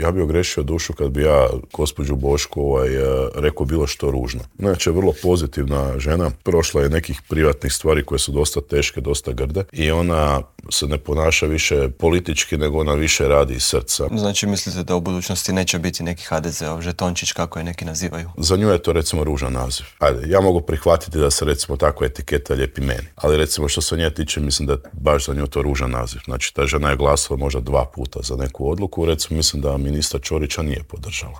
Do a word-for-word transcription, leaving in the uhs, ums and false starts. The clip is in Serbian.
ja bi ogrešio dušu kad bi ja gospođu Bošku ovaj, rekao bilo što ružno. Znači, vrlo pozitivna žena, prošla je nekih privatnih stvari koje su dosta teške, dosta grde i ona se ne ponaša više politički, nego ona više radi iz srca. Znači, mislite da u budućnosti neće biti neki ha de zeov žetončić, kako je neki nazivaju? Za nju je to recimo ružan naziv. Ajde, ja mogu prihvatiti da se recimo takva etiketa lijepi meni, ali recimo što se nje tiče, mislim da je baš za nju to ružan naziv. Znači, ta žena je glasala možda dva puta za neku odluku, recimo mislim da ministra Ćorića nije podržala.